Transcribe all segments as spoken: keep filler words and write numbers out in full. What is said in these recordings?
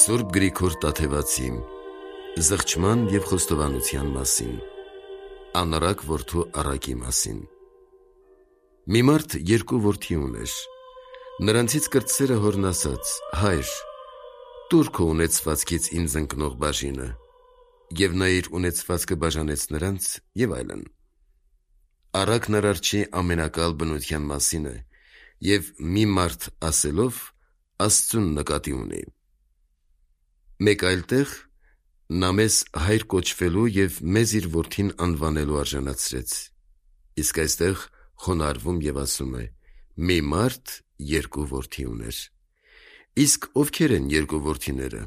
Սուրբ Գրիգոր Տաթևացի Զղջման և խոստովանության մասին, Անառակ որդու Առակի մասին։ Մի մարդ երկու որդի ուներ։ Նրանցից կրտսերը հորն ասաց. «Հայր, տուր քո ունեցվածքից ինձ ընկնող բաժինը», և նա իր ունեցվածքը բաժանեց նրանց և այլն։ Առակն Արարչի ամենակալ բնության մասին է և մի մարդ ասելով Աստծուն նկատի ունի։ Մեկ այլ տեղ նա մեզ հայր կոչվելու և մեզ իր որդին անվանելու արժանացրեց։ Իսկ այստեղ խոնարհվում և ասում է. «Մի մարդ երկու որդի ուներ»։ Իսկ ովքեր են երկու որդիները։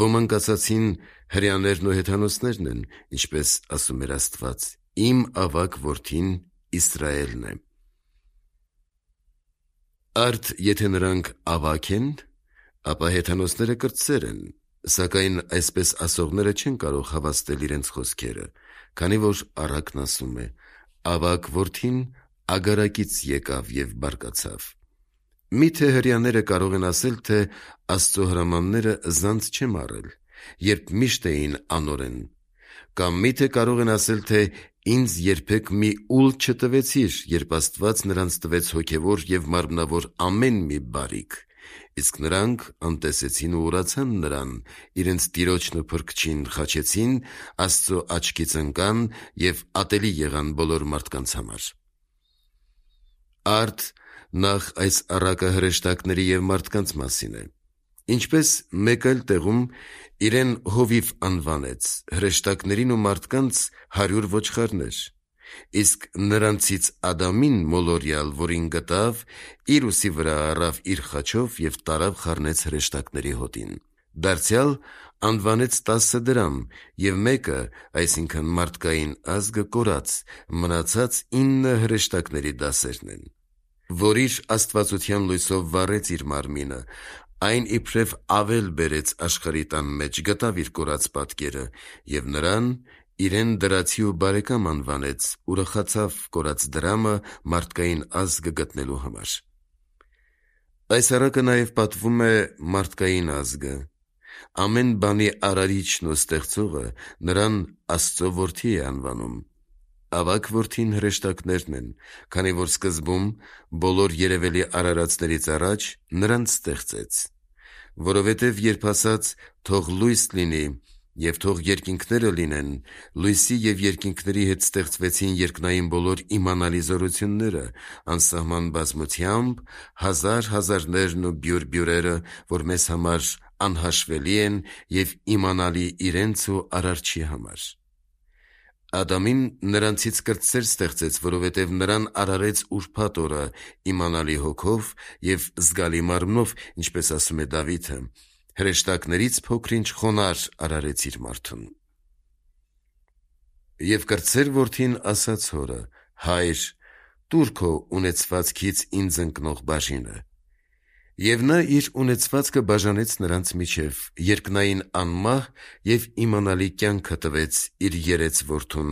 Ոմանք ասացին. հրեաներն ու հեթանոսներն են, ինչպես ասում էր Աստված. «Իմ ավագ որդին Իսրայելն է»։ Արդ եթե նրանք ավագ են, ապա հեթանոսները կրտսեր են, սակայն այսպես ասողները չեն կարող հավաստել իրենց խոսքերը, քանի որ Առակն ասում է. «Ավագ որդին Ագարակից եկավ և բարկացավ»։ Մի՞թե հրեաները կարող են ասել, թե Աստծո հրամանները զանց չեմ առել, երբ միշտ էին անօրեն։ Կամ մի՞թե կարող են ասել, թե ինձ երբեք մի ուլ չտվեցիր, երբ Աստված նրանց տվեց հոգևոր և մարմնավոր ամեն մի բարիք։ Իսկ նրանք անտեսեցին ու ուրացան նրան, իրենց Տիրոջն ու Փրկչին խաչեցին, Աստծո աչքից ընկան և ատելի եղան բոլոր մարդկանց համար։ Արդ նախ այս առակը հրեշտակների և մարդկանց մասին է։ Ինչպես մեկ այլ տեղում իրեն Հովիվ անվանեց, հրեշտակներին ու մարդկանց հարյուր ոչխարներ, իսկ նրանցից Ադամին մոլորյալ, որին գտավ, իր ուսի վրա առավ իր խաչով և տարավ խառնեց հրեշտակների հոտին։ Դարձյալ անվանեց տասը դրամ, և մեկը, այսինքն մարդկային ազգը, կորած, մնացած ինը հրեշտակների դասերն են։ Որ իր աստվածության լույսով վառեց իր մարմինը, այն իբրև ավել բերեց աշխարհի տան մեջ, գտավ իր կորած պատկերը և նրան իրեն դրացի ու բարեկամ անվանեց, ուրախացավ կորած դրամը մարդկային ազգը գտնելու համար։ Այս առակը նաև պատվում է մարդկային ազգը։ Ամեն բանի արարիչն ու ստեղծողը նրան Աստծո որդի է անվանում։ Ավագ որդին հրեշտակներն են, քանի որ սկզբում բոլոր երևելի արարածներից առաջ նրանց ստեղծեց։ Որովհետև երբ ասաց. «Թող լույս լինի» և «Թող երկինքները լինեն», լույսի և երկինքների հետ ստեղծվեցին երկնային բոլոր իմանալի զորությունները, անսահման բազմությամբ, հազար հազարներն ու բյուրբյուրերը, որ մեզ համար անհաշվելի են և իմանալի իրենց ու Արարչի համար։ Ադամին նրանցից կրտսեր ստեղծեց, որովհետև նրան արարեց ուրբաթ օրը իմանալի հոգով և զգալի մարմնով, ինչպես ասում է Դավիթը. «Հրեշտակներից փոքր-ինչ խոնարհ արարեց իր մարդուն»։ Եվ կրտսեր որդին ասաց հորը. «Հայր, տուր քո ունեցվածքից ինձ ընկնող բաժինը»։ Եվ նա իր ունեցվածքը բաժանեց նրանց միջև, երկնային անմահ և իմանալի կյանքը տվեց իր երեց որդուն,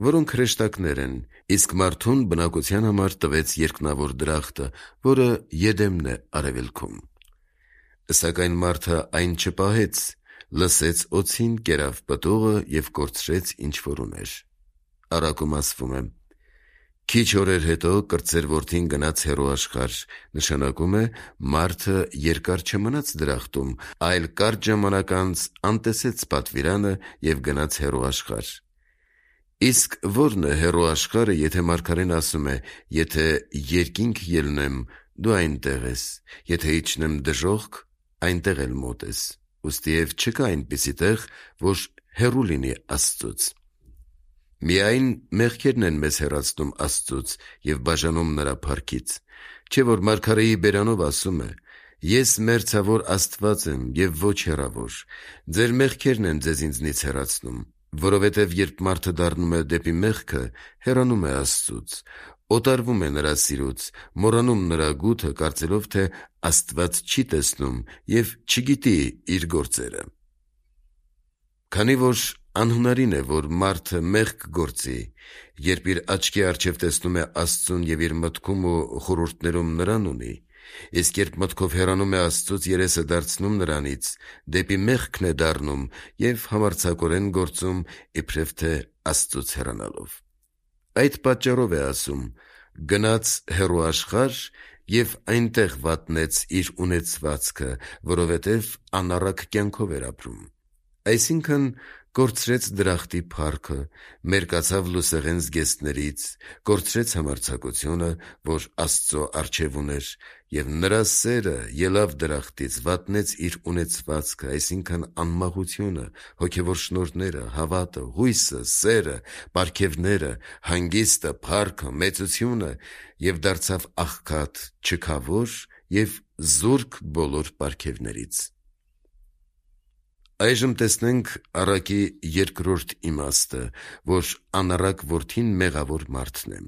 որոնք հրեշտակներ են, իսկ մարդուն բնակության համար տվեց երկնավոր դրախտը, որը Եդեմն է արևելքում։ Սակայն մարդը այն չպահեց, լսեց օձին, կերավ պտուղը և կորցրեց, ինչ որ ուներ։ Առակում ասվում է. «Քիչ օրեր հետո կրտսեր որդին գնաց հեռու աշխարհ», նշանակում է մարդը երկար չմնաց դրախտում, այլ կարճ ժամանակ անց անտեսեց պատվիրանը և գնաց հեռու աշխարհ։ Իսկ ո՞րն է հեռու աշխարհը, եթե մարգարեն ասում է. «Եթե երկինք ելնեմ, դու այնտեղ ես, եթե իջնեմ դժոխք, այնտեղ էլ մոտ ես»։ Ուստիև չկա այնպիսի տեղ, որ հեռու լինի Աստծուց։ Միայն մեղքերն են մեզ հեռացնում Աստծուց և բաժանում նրա փառքից։ Չէ՞ որ մարգարեի բերանով ասում է. «Ես մերձավոր Աստված եմ և ոչ հեռավոր, ձեր մեղքերն են ձեզ ինձնից հեռացնում»։ Որովհետև երբ մարդը դառնում է դեպի մեղքը, հեռանում է Աստծուց, օտարվում է նրա սիրուց, մոռանում նրա գութը, կարծելով, թե Աստված չի տեսնում և չգիտի իր գործերը։ Քանի որ անհնարին է, որ մարդը մեղք գործի, երբ իր աչքի առջև տեսնում է Աստծուն և իր մտքում ու խորհուրդներում նրան ունի, Իսկ երբ մտքով հեռանում է Աստծուց, երեսը դարձնում նրանից, դեպի մեղքն է դառնում և համարձակորեն գործում, իբրև թե Աստծուց հեռանալով։ Այդ պատճառով է ասում. «Գնաց հեռու աշխարհ և այնտեղ վատնեց իր ունեցվածքը, որովհետև անառակ կյանքով էր ապրում»։ Այսինքն՝ կորցրեց դրախտի փառքը, մերկացավ լուսեղեն զգեստներից, կորցրեց համարձակությունը, որ Աստծո առջև ուներ, և նրա սերը ելավ դրախտից, վատնեց իր ունեցվածքը, այսինքն անմահությունը, հոգևոր շնորհները, հավատը, հույսը, սերը, պարգևները, հանգիստը, փառքը, մեծությունը և դարձավ աղքատ, չքավոր և զուրկ բոլոր պարգևներից։ Այժմ տեսնենք առակի երկրորդ իմաստը, որ անառակ որդին մեղավոր մարդն է։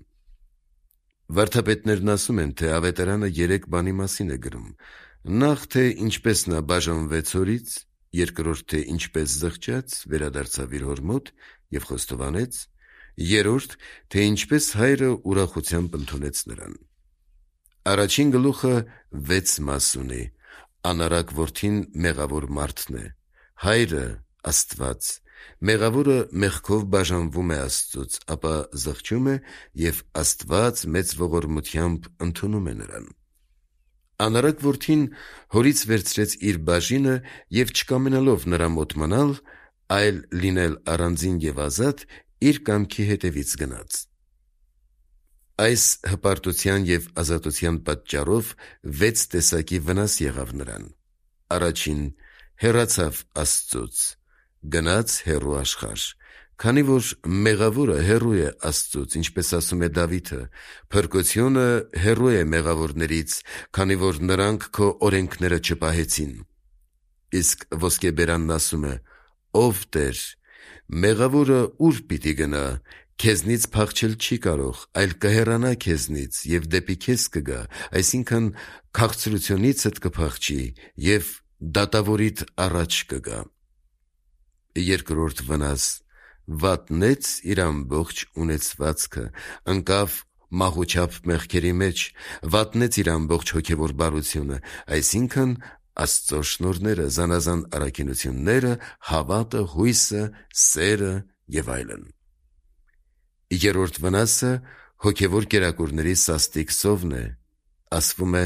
Վարդապետներն ասում են, թե Ավետարանը երեք բանի մասին է գրում. նախ, թե ինչպես նա բաժանվեց հորից, երկրորդ, թե ինչպես զղջաց, վերադարձավ իր հոր մոտ և խոստովանեց, երրորդ, թե ինչպես հայրը ուրախությամբ ընդունեց նրան։ Առաջին գլուխը վեց մաս ունի. անառակ որդին մեղավոր մարդն է, հայրը՝ Աստված, մեղավորը մեղքով բաժանվում է Աստծուց, ապա զղջում է և Աստված մեծ ողորմությամբ ընդունում է նրան։ Անառակ որդին հորից վերցրեց իր բաժինը և չկամենալով նրա մոտ մնալ, այլ լինել առանձին և ազատ, իր կամքի հետևից գնաց։ Այս հպարտության և ազատության պատճառով վեց տեսակի վնաս եղավ նրան։ Առաջին՝ հեռացավ Աստծուց, գնաց հեռու աշխարհ, քանի որ մեղավորը հեռու է Աստծուց, ինչպես ասում է Դավիթը. «Փրկությունը հեռու է մեղավորներից, քանի որ նրանք քո օրենքները չպահեցին»։ Իսկ ոսկեբերանն ասում է. «Ով Տեր, մեղավորը ուր պիտի գնա, քեզնից փախչել չի կարող, այլ կհեռանա քեզնից և դեպի քեզ կգա, այսինքն քաղցրությունիցդ կփախչի և դատավորիդ առաջ կգա»։ Երկրորդ վնաս՝ վատնեց իր ամբողջ ունեցվածքը, ընկավ մահուչափ մեղքերի մեջ, վատնեց իր ամբողջ հոգևոր բարությունը, այսինքն Աստծո շնորհները, զանազան առաքինությունները, հավատը, հույսը, սերը և այլն։ Երրորդ վնասը հոգևոր կերակուրների սաստիկ սովն է, ասվում է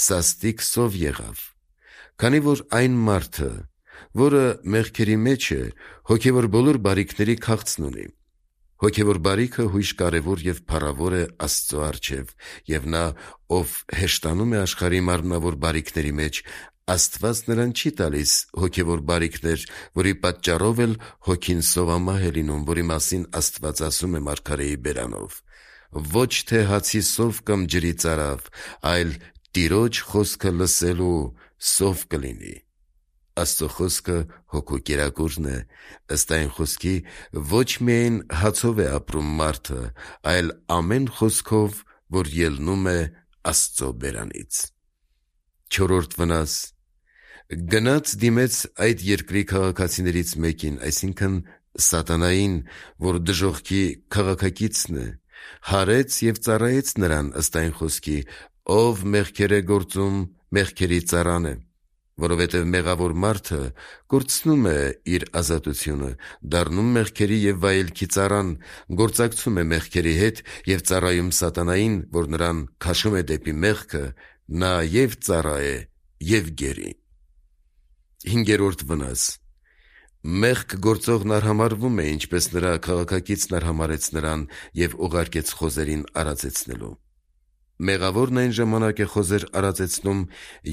սաստիկ սով եղավ, քանի որ այն մարդը, որը մեղքերի մեջ է, հոգևոր բոլոր բարիքների քաղցն ունի։ Հոգևոր բարիքը հույժ կարևոր և փառավոր է Աստծո առջև, և նա, ով հեշտանում է աշխարհի մարմնավոր բարիքների մեջ, Աստված նրան չի տալիս հոգևոր բարիքներ, որի պատճառով էլ հոգին սովամահ է լինում, որի մասին Աստված ասում է մարգարեի բերանով. «Ոչ թե հացի սով կամ ջրի ծարավ, այլ Տիրոջ խոսքը լսելու սով կլինի»։ Աստծո խոսքը հոգու կերակուրն է, ըստ այն խոսքի, ոչ միայն հացով է ապրում մարդը, այլ ամեն խոսքով, որ ելնում է Աստծո բերանից։ Չորրորդ վնաս՝ գնաց դիմեց այդ երկրի քաղաքացիներից մեկին, այսինքն սատանային, որ դժոխքի քաղաքակիցն է, հարեց և ծառայեց նրան, ըստ այն խոսքի, ով մեղքեր է գործում, մեղքերի ծառան է, որովհետև մեղավոր մարդը կորցնում է իր ազատությունը, դառնում մեղքերի և վայելքի ծառան, գործակցում է մեղքերի հետ և ծառայում սատանային, որ նրան քաշում է դեպի մեղքը, նա և ծառա է, և գերի։ Հինգերորդ վնաս՝ մեղք գործողն արհամարհվում է, ինչպես նրա քաղաքակիցն արհամարհեց նրան և ուղարկեց խոզերին արածեցնելու։ Մեղավորն այն ժամանակ է խոզեր արածեցնում,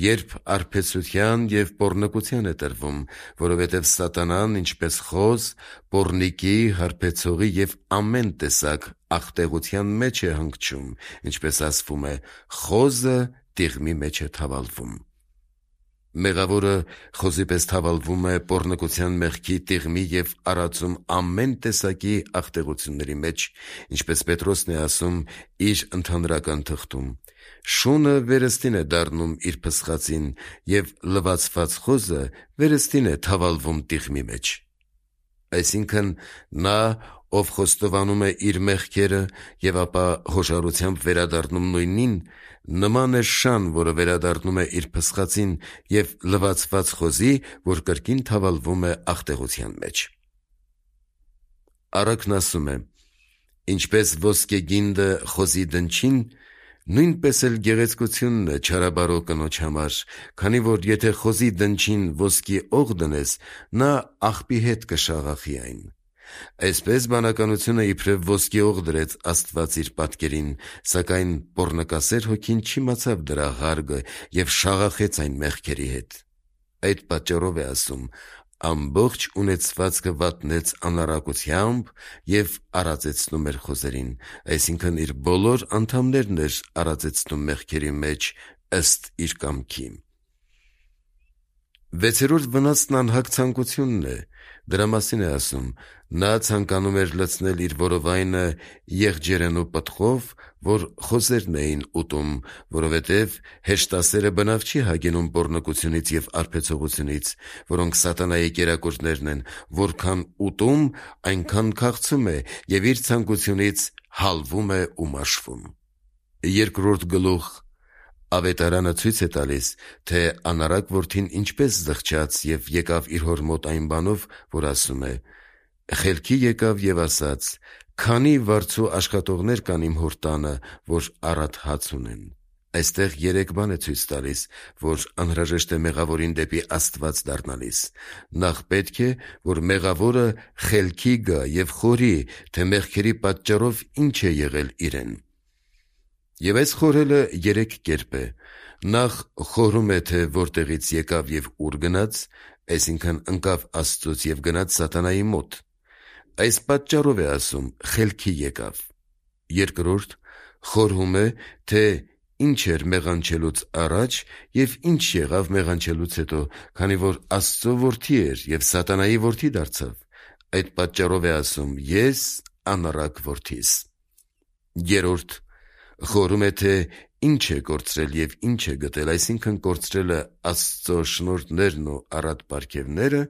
երբ արբեցության և պոռնկության է տրվում, որովհետև սատանան, ինչպես խոզ, պոռնիկի, հարբեցողի և ամեն տեսակ աղտեղության մեջ է հանգչում, ինչպես ասվում է. «Խոզը տիղմի մեջ է թավալվում»։ Մեղավորը խոզի պես թավալվում է պոռնկության մեղքի տիղմի և արածում ամեն տեսակի աղտեղությունների մեջ, ինչպես Պետրոսն է ասում իր ընդհանրական թղթում. «Շունը վերստին է դառնում իր փսխածին, և լվացված խոզը վերստին է թավալվում տիղմի մեջ»։ Այսինքն նա, ով խոստովանում է իր մեղքերը և ապա հոշարությամբ վերադառնում նույնին, նման է շան, որը վերադառնում է իր փսխածին և լվացված խոզի, որ կրկին թավալվում է աղտեղության մեջ։ Առակն ասում է. ինչպես ոսկե գինդը խոզի դնչին, նույնպես էլ գեղեցկությունն է չարաբարո կնոջ համար, քանի որ եթե խոզի դնչին ոսկի օղ դնես, նա աղբի հետ կշաղախի այն։ Այսպես բանականությունը իբրև ոսկի օղ դրեց Աստված իր պատկերին, սակայն պոռնկասեր հոգին չիմացավ դրա ղարգը և շաղախեց այն մեղքերի հետ։ Այդ պատճառով է ասում. ամբողջ ունեցվածքը վատնեց անառակությամբ և արածեցնում էր խոզերին, այսինքն իր բոլոր անդամներն էր արածեցնում մեղքերի մեջ ըստ իր կամքի։ Վեցերորդ վնասն անհագ ցանկությունն է, դրա մասին է ասում. նա ցանկանում էր լցնել իր որովայնը եղջերենու պտղով, որ խոզերն էին ուտում, որովհետև հեշտասերը բնավ չի հագենում պոռնկությունից և արբեցողությունից, որոնք սատանայի կերակուրներն են, որքան ուտում, այնքան քաղցում է և իր ցանկությունից հալվում է ու մաշվում։ Երկրորդ գլուխ Ավետարանը ցույց է տալիս, թե անառակ որդին ինչպես զղջաց և եկավ իր հոր մոտ այն բանով, որ ասում է. խելքի եկավ և ասաց. քանի վարձու աշխատողներ կան իմ հոր տանը, որ առատ հաց ունեն։ Այստեղ երեք բան է ցույց տալիս, որ անհրաժեշտ է մեղավորին դեպի Աստված դառնալիս։ Նախ պետք է, որ մեղավորը խելքի գա և խորի, թե մեղքերի պատճառով ինչ է եղել իրեն։ Եվ այս խորհելը երեք կերպ է։ Նախ խորհում է, թե որտեղից եկավ և ուր գնաց, այսինքն ընկավ Աստծուց և գնաց սատանայի մոտ։ Այս պատճառով է ասում խելքի եկավ։ Երկրորդ խորհում է, թե ինչ էր մեղանչելուց առաջ և ինչ եղավ մեղանչելուց հետո, քանի որ Աստծո որդի էր և սատանայի որդի դարձավ։ Այդ պատճառով է ասում. ես անառակ որդիս։ Երրորդ խորհում է, թե ինչ է կորցրել և ինչ է գտել, այսինքն կորցրել է Աստծո շնորհներն ու առատ պարգևները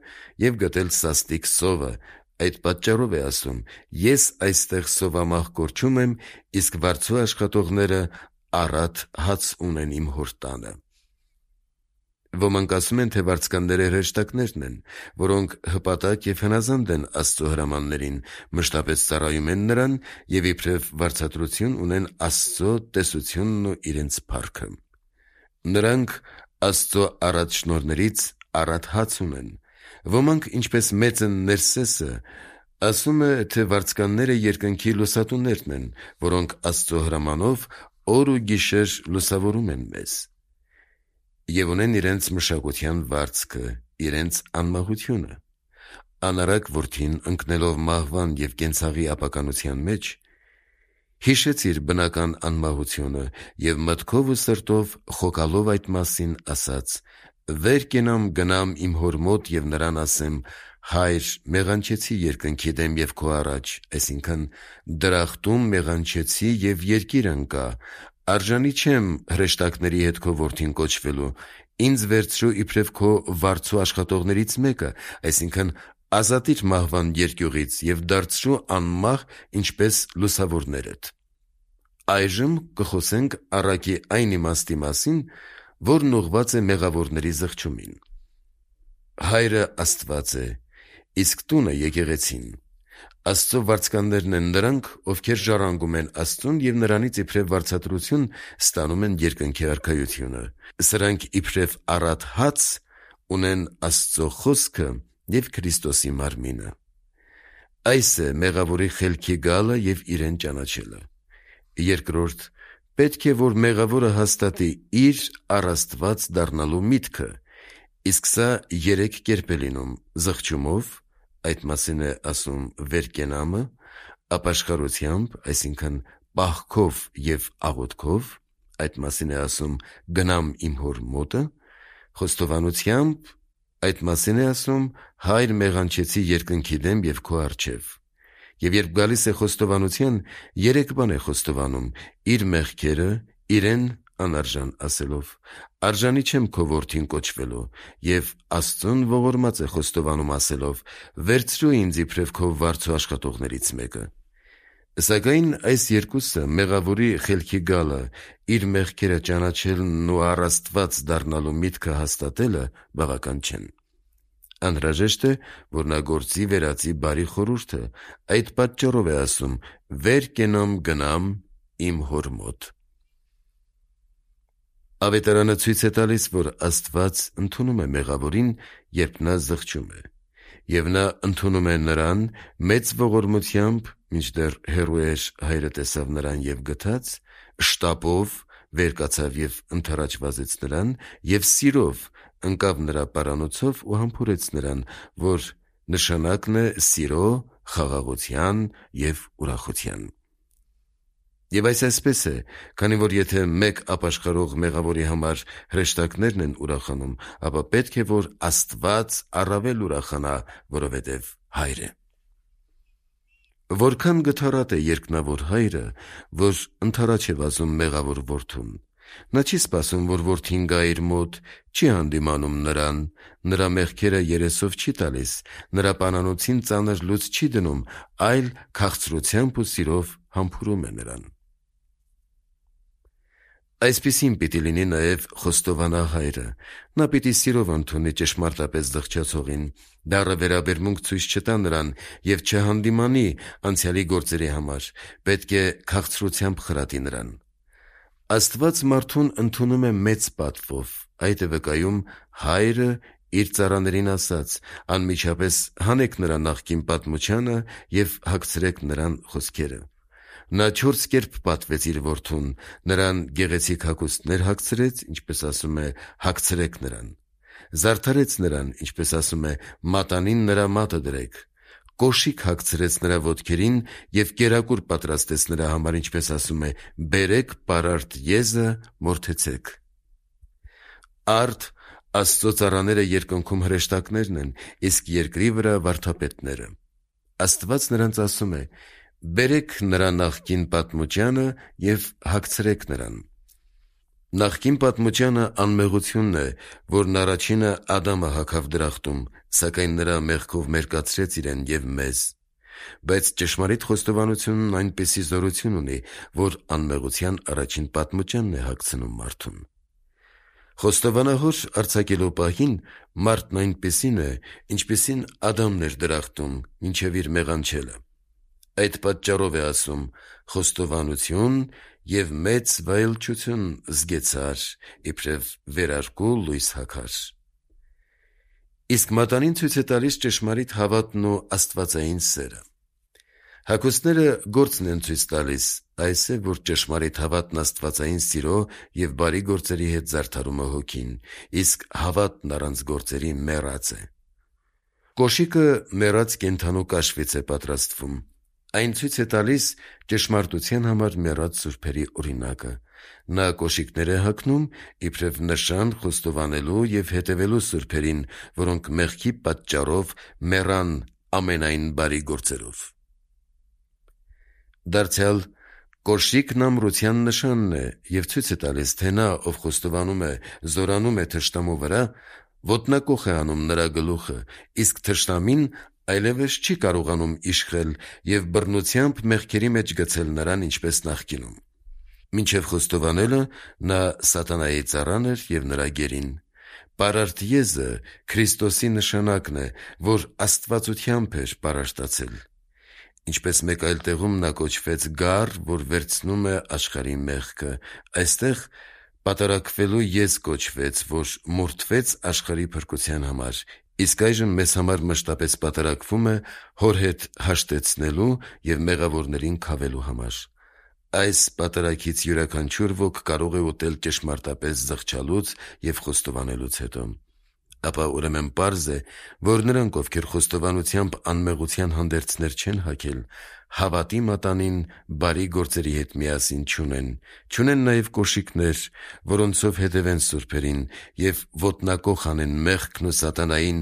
և գտել սաստիկ սովը։ Այդ պատճառով է ասում. ես այստեղ սովամահ կորչում եմ, իսկ վարձու աշխատողները առատ հաց ունեն իմ հոր տանը։ Ոմանք ասում են, թե վարձկանները հրեշտակներն են, որոնք հպատակ և հնազանդ են Աստծո հրամաններին, մշտապես ծառայում են նրան և իբրև վարձատրություն ունեն Աստծո տեսությունն ու իրենց փառքը։ Նրանք Աստծո առատ շնորհներից առատ հաց ունեն։ Ոմանք, ինչպես մեծն Ներսեսը, ասում է, թե վարձկանները երկնքի լուսատուներն են, որոնք Աստծո հրամանով օր ու գիշեր լուսավորում են մեզ։ Եվ ունեն իրենց մշակության վարձքը, իրենց անմահությունը։ Անառակ որդին, ընկնելով մահվան և կենցաղի ապականության մեջ, հիշեց իր բնական անմահությունը և մտքով ու սրտով խոկալով այդ մասին ասաց. վեր կենամ գնամ իմ հոր մոտ և նրան ասեմ. հայր, մեղանչեցի երկնքի դեմ և քո առաջ, այսինքն դրախտում մեղանչեցի և երկիր ընկա, արժանի չեմ հրեշտակների հետ քո որդին կոչվելու, ինձ վերցրու իբրև քո վարձու աշխատողներից մեկը, այսինքն ազատիր մահվան երկյուղից և դարձրու անմահ, ինչպես լուսավորներդ։ Այժմ կխոսենք առակի այն իմաստի մասին, որն ուղղված է մեղավորների զղջումին։ Հայրը Աստված է, իսկ տունը եկեղեցին։ Աստծո վարձկաններն են նրանք, ովքեր ժառանգում են Աստծուն և նրանից իբրև վարձատրություն ստանում են երկնքի արքայությունը։ Սրանք իբրև առատ հաց ունեն Աստծո խոսքը և Քրիստոսի մարմինը։ Այս է մեղավորի խելքի գալը և իրեն ճանաչելը։ Երկրորդ, պետք է, որ մեղավորը հաստատի իր առ Աստված դառնալու միտքը, իսկ սա երեք կերպ է լինում՝ զղջումով, այդ մասին է ասում վեր կենամը, ապաշխարությամբ, այսինքն պահքով և աղոթքով, այդ մասին է ասում գնամ իմ հոր մոտը, խոստովանությամբ, այդ մասին է ասում հայր մեղանչեցի երկնքի դեմ և քո առջև։ Եվ երբ գալիս է խոստովանության, երեք բան է խոստովանում՝ իր մեղքերը, իրեն անարժան ասելով. արժանի չեմ քո որդին կոչվելու, և Աստծուն ողորմած է խոստովանում ասելով. վերցրու ինձ իբրև քո վարձու աշխատողներից մեկը։ Սակայն այս երկուսը մեղավորի խելքի գալը, իր մեղքերը ճանաչելն ու առ Աստված դառնալու միտքը հաստատելը բավական չեն։ Անհրաժեշտ է, որ նա գործի վերածի բարի խորհուրդը, այդ պատճառով է ասում. վեր կենամ գնամ իմ հոր մոտ։ Ավետարանը ցույց է տալիս, որ Աստված ընդունում է մեղավորին, երբ նա զղջում է, և նա ընդունում է նրան մեծ ողորմությամբ, մինչդեռ հեռու էր, հայրը տեսավ նրան և գթաց, շտապով վեր կացավ և ընդառաջ վազեց նրան, և սիրով ընկավ նրա պարանոցով ու համբուրեց նրան, որ նշանակն է սիրո, խաղաղության և ուրախության։ Եվ այս այսպես է, քանի որ եթե մեկ ապաշխարող մեղավորի համար հրեշտակներն են ուրախանում, ապա պետք է, որ Աստված առավել ուրախանա, որովհետև հայր է։ Որքան գթառատ է երկնավոր հայրը, որ ընդառաջ է վազում մեղավոր որդուն։ Նա չի սպասում, որ որդին գա իր մոտ, չի հանդիմանում նրան, նրա մեղքերը երեսով չի տալիս, նրա պանանոցին ծանր լուց չի դնում, այլ քաղցրությամբ ու սիրով համբուրում է նրան։ Այսպիսին պիտի լինի նաև խոստովանահայրը։ Նա պիտի սիրով ընդունի ճշմարտապես զղջացողին, դառը վերաբերմունք ցույց չտա նրան և չհանդիմանի անցյալի գործերի համար, պետք է քաղցրությամբ խրատի նրան։ Աստված մարդուն ընդունում է մեծ պատվով, այդ է վկայում հայրը իր ծառաներին ասաց. անմիջապես հանեք նրա նախկին պատմությանը և հագցրեք նրան խոսքերը։ Նա չորս կերպ պատվեց իր որդուն, նրան գեղեցիկ հագուստներ հագցրեց, ինչպես ասում է, հագցրեք նրան, զարդարեց նրան, ինչպես ասում է, մատանին նրա մատը դրեք, կոշիկ հագցրեց նրա ոտքերին և կերակուր պատրաստեց նրա համար, ինչպես ասում է, բերեք պարարտ եզը, մորթեցեք։ Արդ Աստծո ծառաները երկնքում հրեշտակներն են, իսկ երկրի վրա վարդապետները։ Աստված նրանց ասում է. բերեք նրա նախկին պատմությանը և հագցրեք նրան։ Նախկին պատմությանը անմեղությունն է, որն առաջինը Ադամը հագավ դրախտում, սակայն նրա մեղքով մերկացրեց իրեն և մեզ։ Բայց ճշմարիտ խոստովանությունն այնպիսի զորություն ունի, որ անմեղության առաջին պատմությանն է հագցնում մարդուն։ Խոստովանահոր արձակելու պահին մարդն այնպիսին է, ինչպիսին Ադամն էր դրախտում, մինչև իր մեղանչելը։ Այդ պատճառով է ասում. խոստովանություն և մեծ վայելչություն զգեցար, իբրև վերարկու լույս հագար։ Իսկ մատանին ցույց է տալիս ճշմարիտ հավատն ու աստվածային սերը։ Հագուստները գործն են ցույց տալիս, այս է, որ ճշմարիտ հավատն աստվածային սիրո և բարի գործերի հետ զարդարում է հոգին, իսկ հավատն առանց գործերի մեռած է։ Կոշիկը մեռած կենդանու կաշվից է պատրաստվում։ Այն ցույց է տալիս ճշմարտության համար մեռած սուրբերի օրինակը։ Նա կոշիկներ է հագնում, իբրև նշան խոստովանելու և հետևելու սուրբերին, որոնք մեղքի պատճառով մեռան ամենայն բարի գործերով։ Դարձյալ կոշիկն ամրության նշանն է և ցույց է տալիս, թե նա, ով խոստովանում է, զորանում է թշնամու վրա, ոտնակոխ է անում նրա գլուխը, իսկ թշնամին այլևս չի կարողանում իշխել և բռնությամբ մեղքերի մեջ գցել նրան, ինչպես նախկինում։ Մինչև խոստովանելը նա սատանայի ծառան էր և նրա գերին։ Պարարտ եզը Քրիստոսի նշանակն է, որ աստվածությամբ էր պարարտացել։ Ինչպես մեկ այլ տեղում նա կոչվեց գառ, որ վերցնում է աշխարհի մեղքը, այստեղ պատարակվելու եզ կոչվեց, որ մորթվեց աշխարհի փրկության համար, իսկ այժմ մեզ համար մշտապես պատարակվում է հոր հետ հաշտեցնելու և մեղավորներին քավելու համար։ Այս պատարագից յուրաքանչյուր ոք կարող է ուտել ճշմարտապես զղջալուց և խոստովանելուց հետո։ Ապա ուրեմն պարզ է, որ նրանք, ովքեր խոստովանությամբ անմեղության հանդերձներ չեն հագել, հավատի մատանին բարի գործերի հետ միասին չունեն, չունեն նաև կոշիկներ, որոնցով հետևեն սուրբերին և ոտնակոխ անեն մեղքն ու սատանային,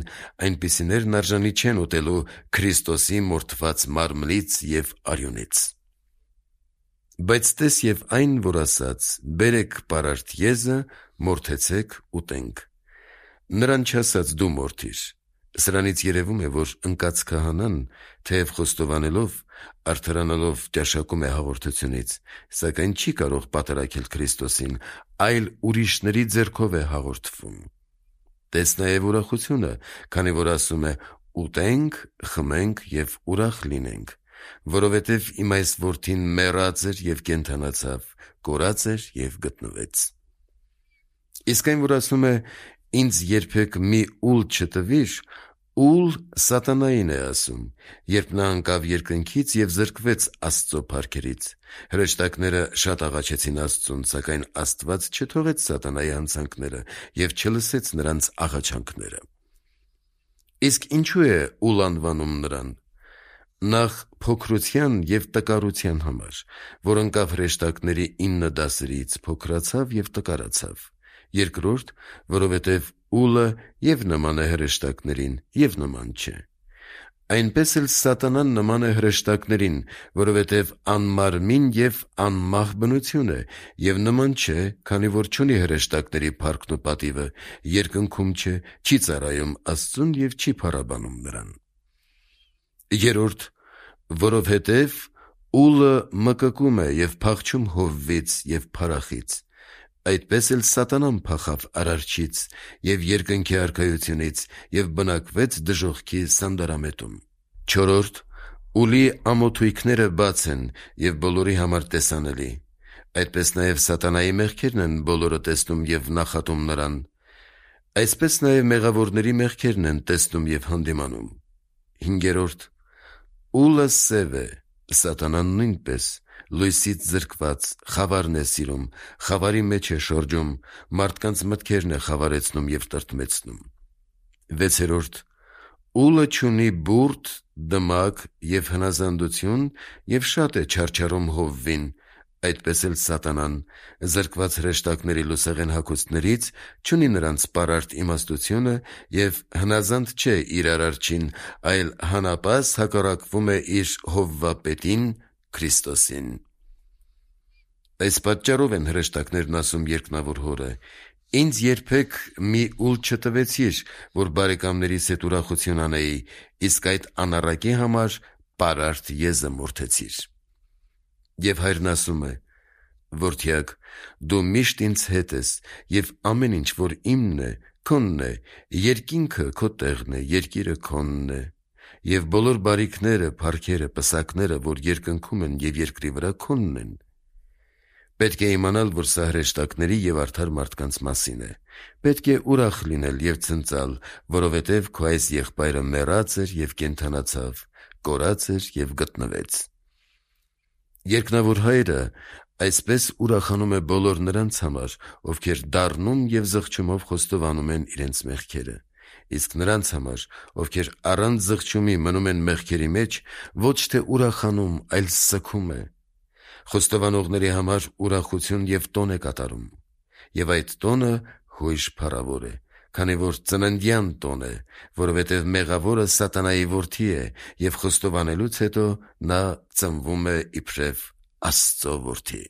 այնպիսիներն արժանի չեն ուտելու Քրիստոսի մորթված մարմնից և արյունից։ Բայց տես և այն, որ ասաց. «Բերեք պարարտ եզը, մորթեցեք, ուտենք»։ Նրան չասաց. «Դու մորթիր»։ Սրանից երևում է, որ ընկած քահանան, թեև խոստովանելով, արդարանալով ճաշակում է հաղորդությունից, սակայն չի կարող պատառաքել Քրիստոսին, այլ ուրիշների ձեռքով է հաղորդվում։ Տես նաև ուրախությունը, քանի որ ասում է. «Ուտենք, խմենք և ուրախ լինենք, որովհետև իմ այս որդին մեռած էր և կենդանացավ, կորած էր և գտնվեց»։ Իսկ այն, որ ասում է. «Ինձ երբեք մի ուլ չտվիր», ուլ սատանային է ասում, երբ նա ընկավ երկնքից և զրկվեց Աստծո փառքերից։ Հրեշտակները շատ աղաչեցին Աստծուն, սակայն Աստված չթողեց սատանայի հանցանքները և չլսեց նրանց աղաչանքները։ Իսկ ինչու է ուլ անվանում նրան։ Նախ փոքրության և տկարության համար, որ ընկավ հրեշտակների ինը դասերից, փոքրացավ և տկարացավ։ Երկրորդ, որովհետև ուլը և նման է հրեշտակներին, և նման չէ։ Այնպես էլ սատանան նման է հրեշտակներին, որովհետև անմարմին և անմահ բնություն է, և նման չէ, քանի որ չունի հրեշտակների փառքն ու պատիվը, երկնքում չէ, չի ծառայում Աստծուն և չի փառաբանում նրան։ Երրորդ, որովհետև ուլը մկկում է և փախչում հովվից և փարախից, այդպես էլ սատանան փախավ Արարչից և երկնքի արքայությունից և բնակվեց դժոխքի սանդարամետում։ Չորրորդ, ուլի ամոթույքները բաց են և բոլորի համար տեսանելի, այդպես նաև սատանայի մեղքերն են բոլորը տեսնում և նախատում նրան, այսպես նաև մեղավորների մեղքերն են տեսնում և հանդիմանում։ Հինգերորդ, ուլը սև է, սատանան նույնպես, լույսից զրկված, խավարն է սիրում, խավարի մեջ է շրջում, մարդկանց մտքերն է խավարեցնում և տրտմեցնում։ Վեցերորդ, ուլը չունի բուրդ, դմակ և հնազանդություն և շատ է չարչարում հովվին, այդպես էլ սատանան, զրկված հրեշտակների լուսեղեն հագուստներից, չունի նրանց պարարտ իմաստությունը և հնազանդ չէ իր Արարչին, այլ հանապազ հակառակվում է իր հովվապետին՝ Քրիստոսին։ Այս պատճառով են հրեշտակներն ասում երկնավոր Հորը. «Ինձ երբեք մի ուլ չտվեցիր, որ բարեկամներիս հետ ուրախություն անեի, իսկ այդ անառակի համար պարարտ եզը մորթեցիր»։ Եվ Հայրն ասում է. «Որդյա՛կ, դու միշտ ինձ հետ ես, և ամեն ինչ, որ իմն է, քոնն է, երկինքը քո տեղն է, երկիրը քոնն է, և բոլոր բարիքները, փառքերը, պսակները, որ երկնքում են և երկրի վրա, քոնն են»։ Պետք է իմանալ, որ սա հրեշտակների և արդար մարդկանց մասին է։ Պետք է ուրախ լինել և ցնծալ, որովհետև քո այս եղբայրը մեռած էր և կենդանացավ, կորած էր և գտնվեց։ Երկնավոր Հայրը այսպես ուրախանում է բոլոր նրանց համար, ովքեր դառնում և զղջումով խոստովանում են իրենց մեղքերը։ Իսկ նրանց համար, ովքեր առանց զղջումի մնում են մեղքերի մեջ, ոչ թե ուրախանում, այլ սգում է։ Խոստովանողների համար ուրախություն և տոն է կատարում։ Եվ այդ տոնը հույժ փառավոր է, քանի որ ծննդյան տոն է, որովհետև մեղավորը սատանայի որդի է, և խոստովանելուց հետո նա ծնվում է իբրև Աստծո որդի։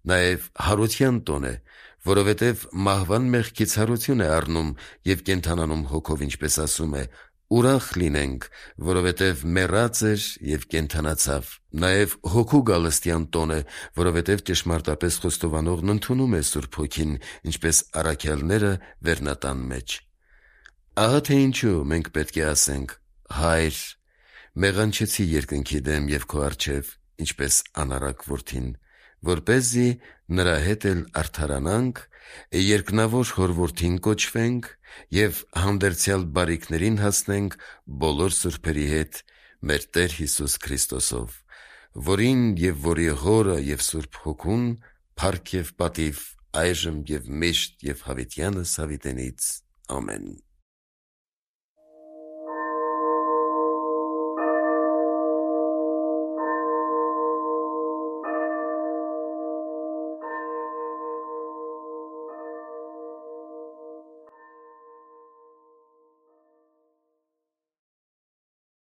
Նաև հարության տոն է, որովհետև մահվան մեղքից հարություն է առնում և կենդանանում հոգով, ինչպես ասում է. «Ուրախ լինենք, որովհետև մեռած էր և կենդանացավ»։ Նաև հոգու գալստյան տոն է, որովհետև ճշմարտապես խոստովանողն ընդունում է Սուրբ Հոգին, ինչպես առաքյալները վերնատան մեջ։ Ահա թե ինչու մենք պետք է ասենք. «Հա՛յր, մեղանչեցի երկնքի դեմ և քո առջև, ինչպես անառակ որդին, որպեսզի նրա հետ էլ արդարանանք, երկնավոր Հոր որդին կոչվենք և հանդերձյալ բարիքներին հասնենք բոլոր սուրբերի հետ մեր Տեր Հիսուս Քրիստոսով, որին և որի Հորը և Սուրբ Հոգուն փառք և պատիվ այժմ և միշտ և հավիտյանս հավիտենից։ Ամեն»։